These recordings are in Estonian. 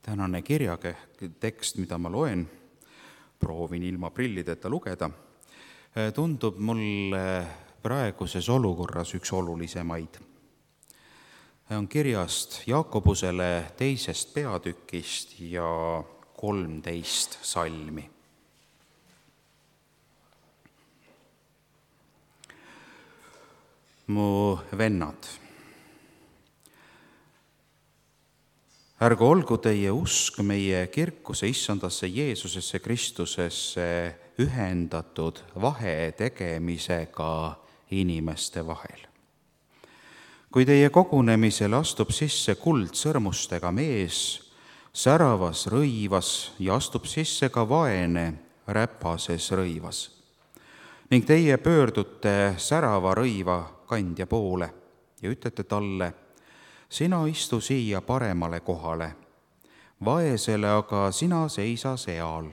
Tänane kirjatekst, mida ma loen, proovin ilma prillideta lugeda, tundub mulle praeguses olukorras üks olulisemaid. On kirjast Jaakobusele 2. peatükist ja 13 salmi. Mu vennad, ärgu olgu teie usk meie kirkuse issandasse Jeesusesse Kristusesse ühendatud vahetegemisega inimeste vahel. Kui teie kogunemisel astub sisse kuldsõrmustega mees säravas rõivas ja astub sisse ka vaene räpases rõivas ning teie pöördute särava rõiva kandja poole ja ütlete talle: sina istu siia paremale kohale, vaesele aga sina seisa seal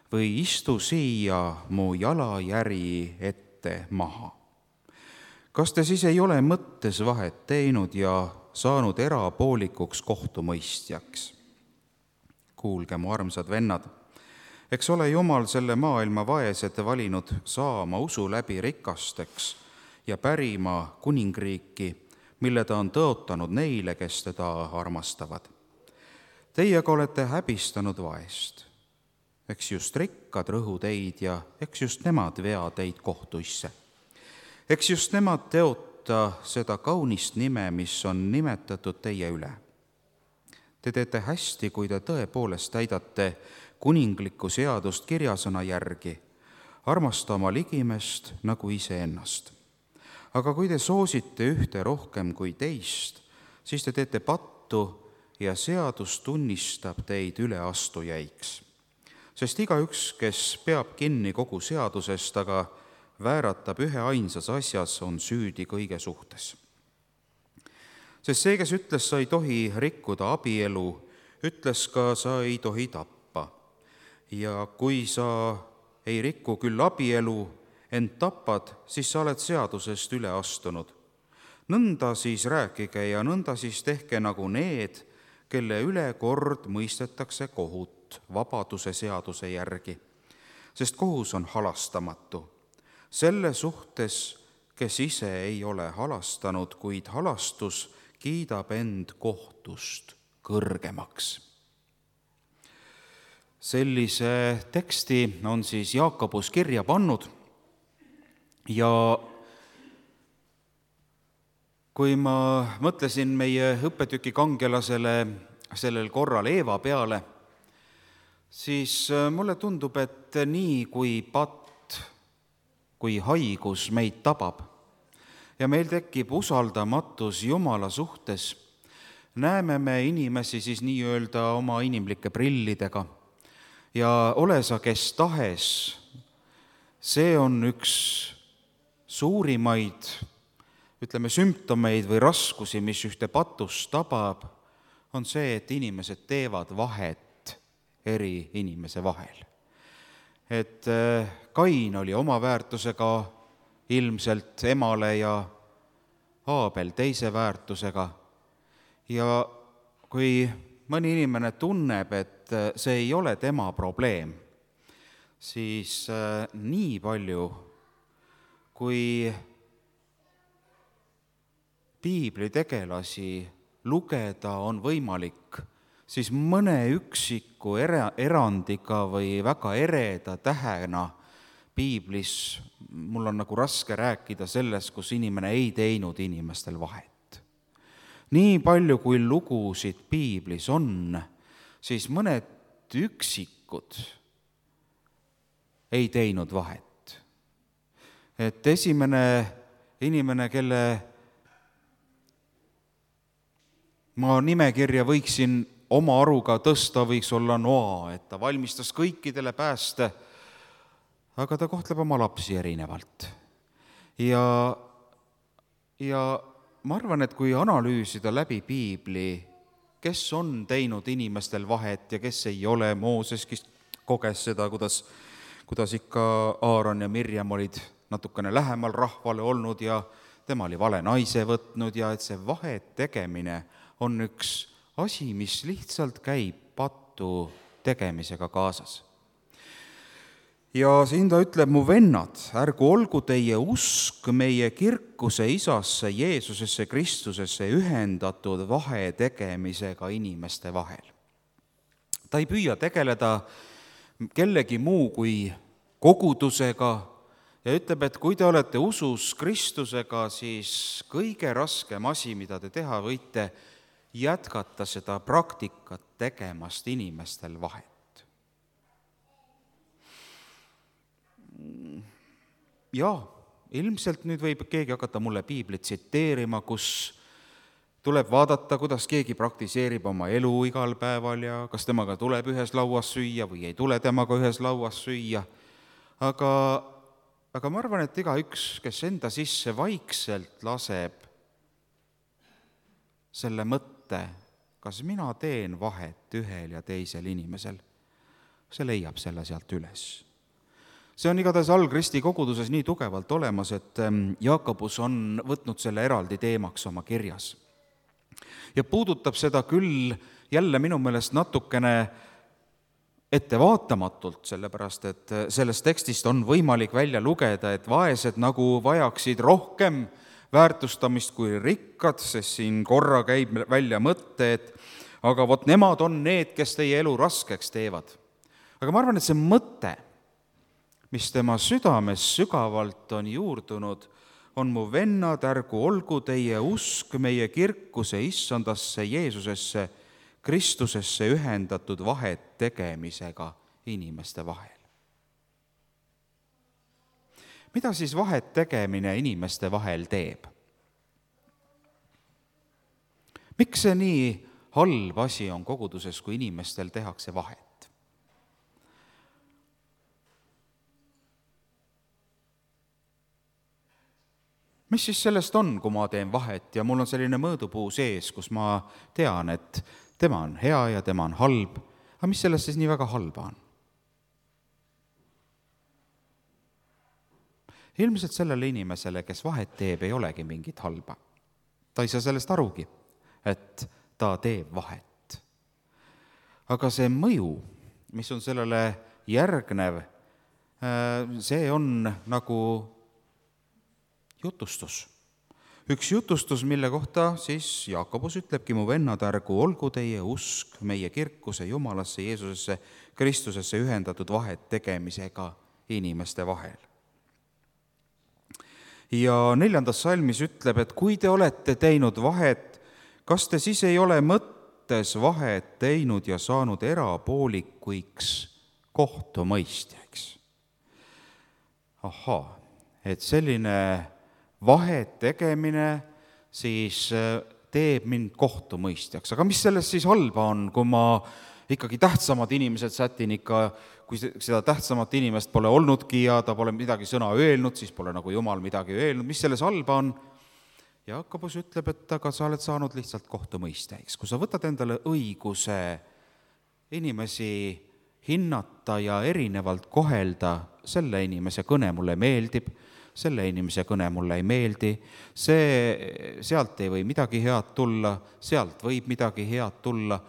või istu siia mu jalajäri ette maha. Kas te siis ei ole mõttes vahet teinud ja saanud erapoolikuks kohtumõistjaks? Kuulge, mu armsad vennad, eks ole Jumal selle maailma vaesed valinud saama usu läbi rikasteks ja pärima kuningriiki, mille ta on tõotanud neile, kes teda armastavad. Teiega olete häbistanud vaest. Eks just rikkad rõhu teid ja eks just nemad vea teid kohtuisse. Eks just nemad teota seda kaunist nime, mis on nimetatud teie üle. Te teete hästi, kui te tõepoolest täidate kuninglikku seadust kirjasõna järgi, armasta oma ligimest nagu iseennast. Aga kui te soosite ühte rohkem kui teist, siis te teete pattu ja seadus tunnistab teid üleastujaiks. Sest igaüks, kes peab kinni kogu seadusest, aga vääratab ühe ainsas asjas, on süüdi kõige suhtes. Sest see, kes ütles, sa ei tohi rikkuda abielu, ütles ka, sa ei tohi tappa. Ja kui sa ei riku küll abielu, ent tapad, siis sa oled seadusest üle astunud. Nõnda siis rääkige ja nõnda siis tehke nagu need, kelle üle kord mõistetakse kohut vabaduse seaduse järgi. Sest kohus on halastamatu. Selle suhtes, kes ise ei ole halastanud, kuid halastus kiidab end kohtust kõrgemaks. Sellise teksti on siis Jaakobus kirja pannud. Ja kui ma mõtlesin meie õppetüki kangelasele sellel korral Eeva peale, siis mulle tundub, et nii kui patt, kui haigus meid tabab ja meil tekib usaldamatus Jumala suhtes, näeme me inimesi siis nii-öelda oma inimlike prillidega ja ole sa kes tahes, see on üks suurimaid, sümptomeid või raskusi, mis ühte patust tabab, on see, et inimesed teevad vahet eri inimese vahel. Et Kain oli oma väärtusega ilmselt emale ja Aabel teise väärtusega. Ja kui mõni inimene tunneb, et see ei ole tema probleem, siis nii palju, kui piibli tegelasi lugeda on võimalik, siis mõne üksiku erandiga või väga ereda tähena piiblis mul on nagu raske rääkida sellest, kus inimene ei teinud inimestel vahet. Nii palju, kui lugusid piiblis on, siis mõned üksikud ei teinud vahet. Et esimene inimene, kelle ma nimekirja võiksin oma aruga tõsta, võiks olla Noa, et ta valmistas kõikidele pääste, aga ta kohtleb oma lapsi erinevalt. Ja ma arvan, et kui analüüsida läbi piibli, kes on teinud inimestel vahet ja kes ei ole, Mooseski koges seda, kuidas ikka Aaron ja Mirjam olid natukene lähemal rahvale olnud ja tema oli vale naise võtnud ja et see vahet tegemine on üks asi, mis lihtsalt käib kohtu tegemisega kaasas. Ja siin ta ütleb, mu vennad, ärgu olgu teie usk meie kirkuse isasse, Jeesusesse Kristusesse ühendatud vahetegemisega inimeste vahel. Ta ei püüa tegeleda kellegi muu kui kogudusega ja ütleb, et kui te olete usus Kristusega, siis kõige raskem asi, mida te teha võite, jätkata seda praktikat tegemast inimestel vahet. Jaa, ilmselt nüüd võib keegi hakata mulle piiblit tsiteerima, kus tuleb vaadata, kuidas keegi praktiseerib oma elu igal päeval ja kas temaga tuleb ühes lauas süüa või ei tule temaga ühes lauas süüa. Aga ma arvan, et igaüks, kes enda sisse vaikselt laseb selle mõtte, kas mina teen vahet ühel ja teisel inimesel, see leiab selle sealt üles. See on igatahes algristi koguduses nii tugevalt olemas, et Jaakobus on võtnud selle eraldi teemaks oma kirjas. Ja puudutab seda küll jälle minu meelest natukene ettevaatamatult, sellepärast et sellest tekstist on võimalik välja lugeda, et vaesed nagu vajaksid rohkem väärtustamist kui rikkad, sest siin korra käib välja mõte, et aga vot nemad on need, kes teie elu raskeks teevad. Aga ma arvan, et see mõte, mis tema südames sügavalt on juurdunud, on mu vennad, ärgu olgu teie usk meie kirkuse issandasse Jeesusesse Kristusesse ühendatud vahet tegemisega inimeste vahel. Mida siis vahet tegemine inimeste vahel teeb? Miks see nii halb asi on koguduses, kui inimestel tehakse vahet? Mis siis sellest on, kui ma teen vahet ja mul on selline mõõdupuu sees, kus ma tean, et tema on hea ja tema on halb, aga mis sellest siis nii väga halba on? Ilmselt sellele inimesele, kes vahet teeb, ei olegi mingit halba. Ta ei saa sellest arugi, et ta teeb vahet. Aga see mõju, mis on sellele järgnev, see on nagu jutustus. Üks jutustus, mille kohta siis Jaakobus ütlebki, mu vennad, ärgu olgu teie usk meie kirkuse Jumalasse, Jeesusesse, Kristusesse ühendatud vahet tegemisega inimeste vahel. Ja 4. salmis ütleb, et kui te olete teinud vahet, kas te siis ei ole mõttes vahet teinud ja saanud erapoolikuiks kohtumõistjaks? Ahaa, et selline vahet tegemine siis teeb mind kohtumõistjaks. Aga mis sellest siis halba on, kui ma ikkagi tähtsamad inimesed sätin ikka, kui seda tähtsamat inimest pole olnudki ja ta pole midagi sõna öelnud, siis pole nagu Jumal midagi öelnud. Mis selles halba on? Jaakobus ütleb, et aga sa oled saanud lihtsalt kohtumõistjaks. Kui sa võtad endale õiguse inimesi hinnata ja erinevalt kohelda, selle inimese kõne mulle meeldib, selle inimese kõne mulle ei meeldi, sealt ei või midagi head tulla, sealt võib midagi head tulla,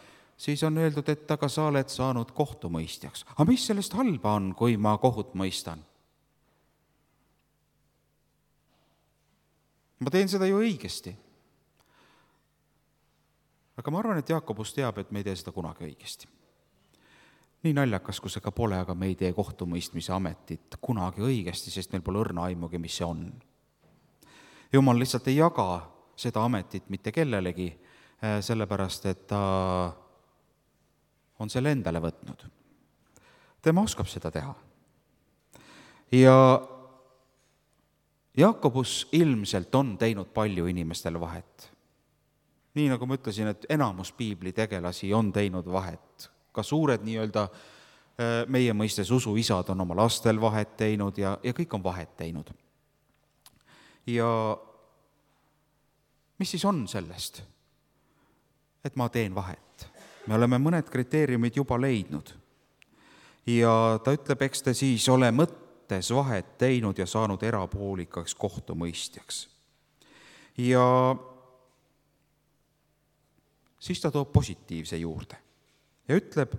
siis on öeldud, et aga sa oled saanud kohtumõistjaks. Aga mis sellest halba on, kui ma kohut mõistan? Ma teen seda ju õigesti. Aga ma arvan, et Jaakobus teab, et me ei tee seda kunagi õigesti. Nii naljakas, kui see ka pole, aga me ei tee kohtumõistmise ametit kunagi õigesti, sest meil pole õrna aimugi, mis see on. Jumal lihtsalt ei jaga seda ametit mitte kellelegi, sellepärast, et ta on selle endale võtnud. Tema oskab seda teha. Ja Jaakobus ilmselt on teinud palju inimestel vahet. Nii nagu ma ütlesin, et enamus piibli tegelasi on teinud vahet. Ka suured nii-öelda meie mõistes usuisad on oma lastel vahet teinud ja kõik on vahet teinud. Ja mis siis on sellest, et ma teen vahet? Me oleme mõned kriteeriumid juba leidnud. Ja ta ütleb, eks te siis ole mõttes vahet teinud ja saanud erapoolikaks kohtumõistjaks. Ja siis ta toob positiivse juurde ja ütleb,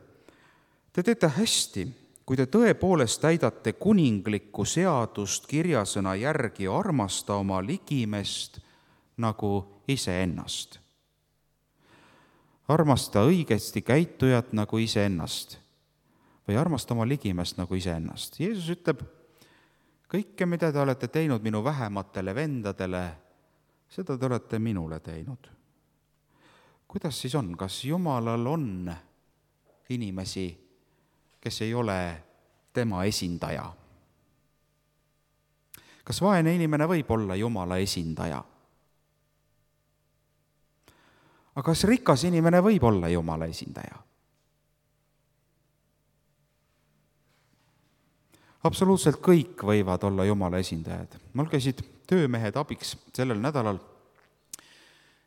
Te teete hästi, kui te tõepoolest täidate kuninglikku seadust kirjasõna järgi, armasta oma ligimest nagu iseennast. Armasta õigesti käitujat nagu iseennast või armasta oma ligimest nagu iseennast. Jeesus ütleb, kõike, mida te olete teinud minu vähematele vendadele, seda te olete minule teinud. Kuidas siis on? Kas Jumalal on inimesi, kes ei ole tema esindaja? Kas vaene inimene võib olla Jumala esindaja? Aga kas rikas inimene võib olla Jumala esindaja? Absoluutselt kõik võivad olla Jumala esindajad. Mul käisid töömehed abiks sellel nädalal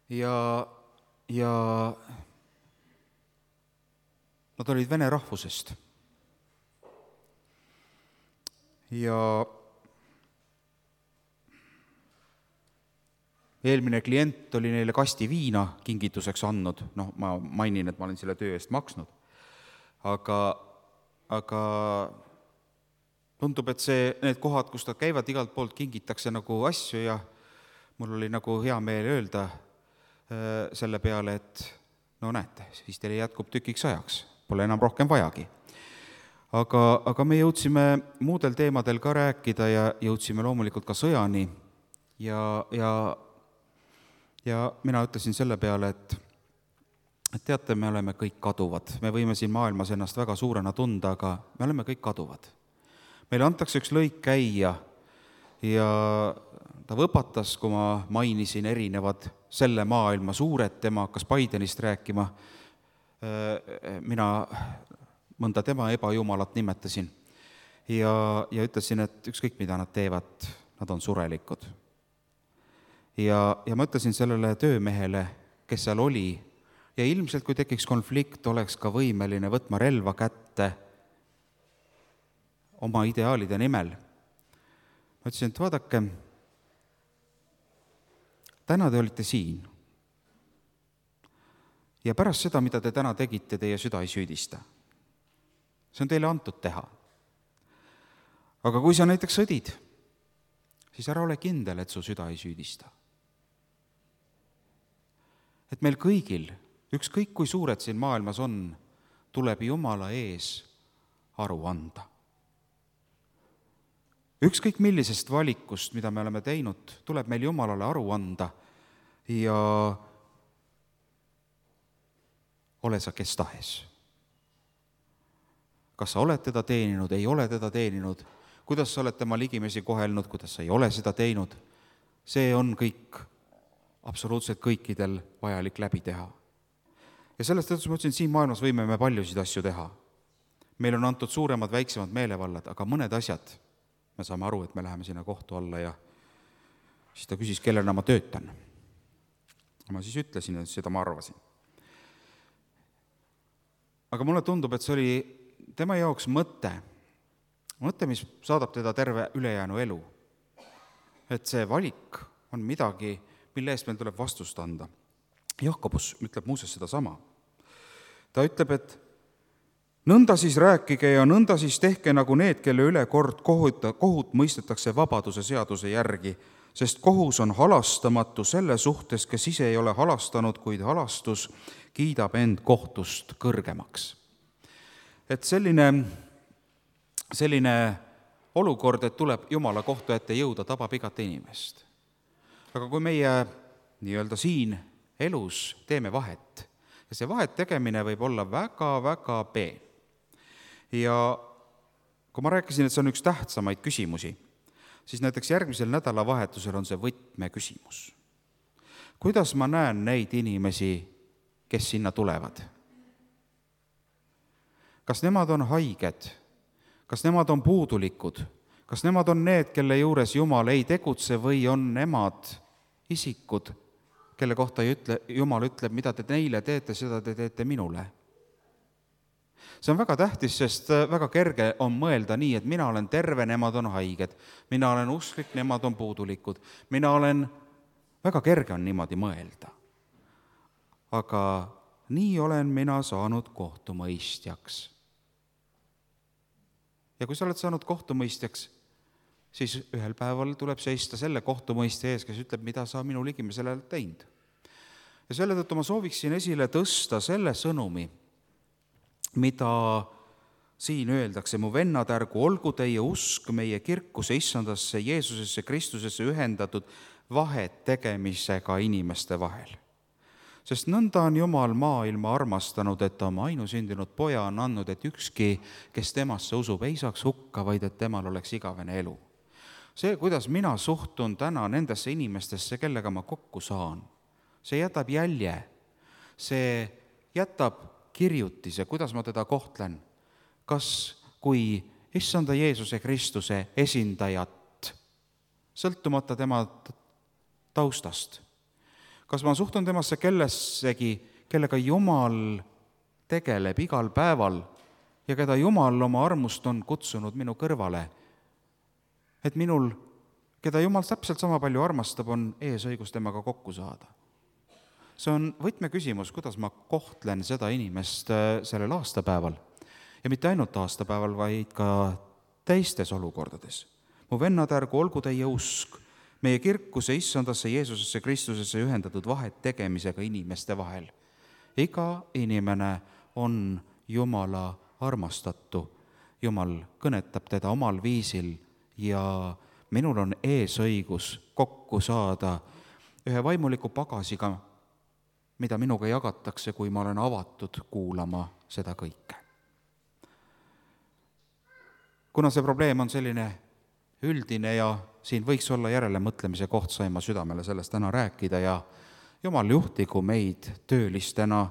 ja nad olid vene rahvusest. Ja eelmine klient oli neile kasti viina kingituseks andnud. Ma mainin, et ma olen selle töö eest maksnud. Aga tundub, et need kohad, kus nad käivad, igalt poolt kingitakse nagu asju ja mul oli nagu hea meel öelda selle peale, et näete, siis teile jätkub tükiks ajaks, pole enam rohkem vajagi. Aga me jõudsime muudel teemadel ka rääkida ja jõudsime loomulikult ka sõjani ja mina ütlesin selle peale, et teate, me oleme kõik kaduvad. Me võime siin maailmas ennast väga suurena tunda, aga me oleme kõik kaduvad. Meile antakse üks lõik käia ja ta võpatas, kui ma mainisin erinevad selle maailma suured, tema hakkas Bidenist rääkima, mina mõnda tema ebajumalat nimetasin ja ütlesin, et ükskõik mida nad teevad, nad on surelikud. Ja ma ütlesin sellele töömehele, kes seal oli, ja ilmselt kui tekiks konflikt, oleks ka võimeline võtma relva kätte oma ideaalide nimel. Ma ütlesin, et vaadake, täna te olite siin. Ja pärast seda, mida te täna tegite, teie süda ei süüdista. See on teile antud teha. Aga kui sa näiteks sõdid, siis ära ole kindel, et su süda ei süüdista. Et meil kõigil, ükskõik kui suured siin maailmas on, tuleb Jumala ees aru anda. Ükskõik millisest valikust, mida me oleme teinud, tuleb meil Jumalale aru anda ja ole sa kes tahes. Kas sa oled teda teeninud, ei ole teda teeninud, kuidas sa oled tema ligimesi kohelnud, kuidas sa ei ole seda teinud, see on kõik, absoluutselt kõikidel vajalik läbi teha. Ja sellest tõttu ma ütlesin, siin maailmas võime me paljusid asju teha. Meil on antud suuremad, väiksemad meelevallad, aga mõned asjad, me saame aru, et me läheme sinna kohtu alla ja siis ta küsis, kellena ma töötan. Ma siis ütlesin, et seda ma arvasin. Aga mulle tundub, et see oli tema jaoks mõte, mis saadab teda terve ülejäänu elu. Et see valik on midagi, mille eest meil tuleb vastust anda. Jakobus ütleb muuseas seda sama. Ta ütleb, et nõnda siis rääkige ja nõnda siis tehke nagu need, kelle üle kord kohut mõistetakse vabaduse seaduse järgi, sest kohus on halastamatu selle suhtes, kes ise ei ole halastanud, kuid halastus kiidab end kohtust kõrgemaks. Et selline olukord, et tuleb Jumala kohtu ette jõuda, tabab igat inimest. Aga kui meie nii-öelda siin elus teeme vahet, ja see vahet tegemine võib olla väga-väga peen. Ja kui ma rääkisin, et see on üks tähtsamaid küsimusi, siis näiteks järgmisel nädalavahetusel on see võtmeküsimus. Kuidas ma näen neid inimesi, kes sinna tulevad? Kas nemad on haiged? Kas nemad on puudulikud? Kas nemad on need, kelle juures Jumal ei tegutse või on nemad isikud, kelle kohta Jumal ütleb, mida te neile teete, seda te teete minule? See on väga tähtis, sest väga kerge on mõelda nii, et mina olen terve, nemad on haiged, mina olen usklik, nemad on puudulikud, väga kerge on niimoodi mõelda. Aga nii olen mina saanud kohtumõistjaks. Ja kui sa oled saanud kohtumõistjaks, siis ühel päeval tuleb seista selle kohtumõistja ees, kes ütleb, mida sa minu ligimisele oled teinud. Ja selle tõttu ma sooviksin esile tõsta selle sõnumi, mida siin öeldakse: mu vennad, ärgu olgu teie usk meie kirkuse issandasse Jeesusesse Kristusesse ühendatud vahet tegemisega inimeste vahel. Sest nõnda on Jumal maailma armastanud, et ta oma ainusündinud poja on andnud, et ükski, kes temasse usub, ei saaks hukka, vaid et temal oleks igavene elu. See, kuidas mina suhtun täna nendesse inimestesse, kellega ma kokku saan, see jätab jälje, see jätab kirjutise, kuidas ma teda kohtlen. Kas kui issanda Jeesuse Kristuse esindajat, sõltumata tema taustast, kas ma suhtun temasse kellessegi, kellega Jumal tegeleb igal päeval ja keda Jumal oma armust on kutsunud minu kõrvale, et minul, keda Jumal täpselt sama palju armastab, on eesõigus temaga kokku saada. See on võtmeküsimus, kuidas ma kohtlen seda inimest sellel aastapäeval ja mitte ainult aastapäeval, vaid ka teistes olukordades. Mu vennad, ärgu olgu teie usk meie kirkuse issandasse Jeesusesse Kristusesse ühendatud vahet tegemisega inimeste vahel. Iga inimene on Jumala armastatu. Jumal kõnetab teda omal viisil ja minul on eesõigus kokku saada ühe vaimuliku pagasiga, mida minuga jagatakse, kui ma olen avatud kuulama seda kõike. Kuna see probleem on selline üldine ja siin võiks olla järelemõtlemise koht, sain ma südamele sellest täna rääkida ja Jumal juhtigu meid töölistena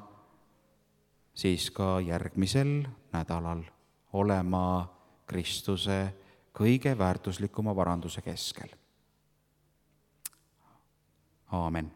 siis ka järgmisel nädalal olema Kristuse kõige väärtuslikuma varanduse keskel. Aamen.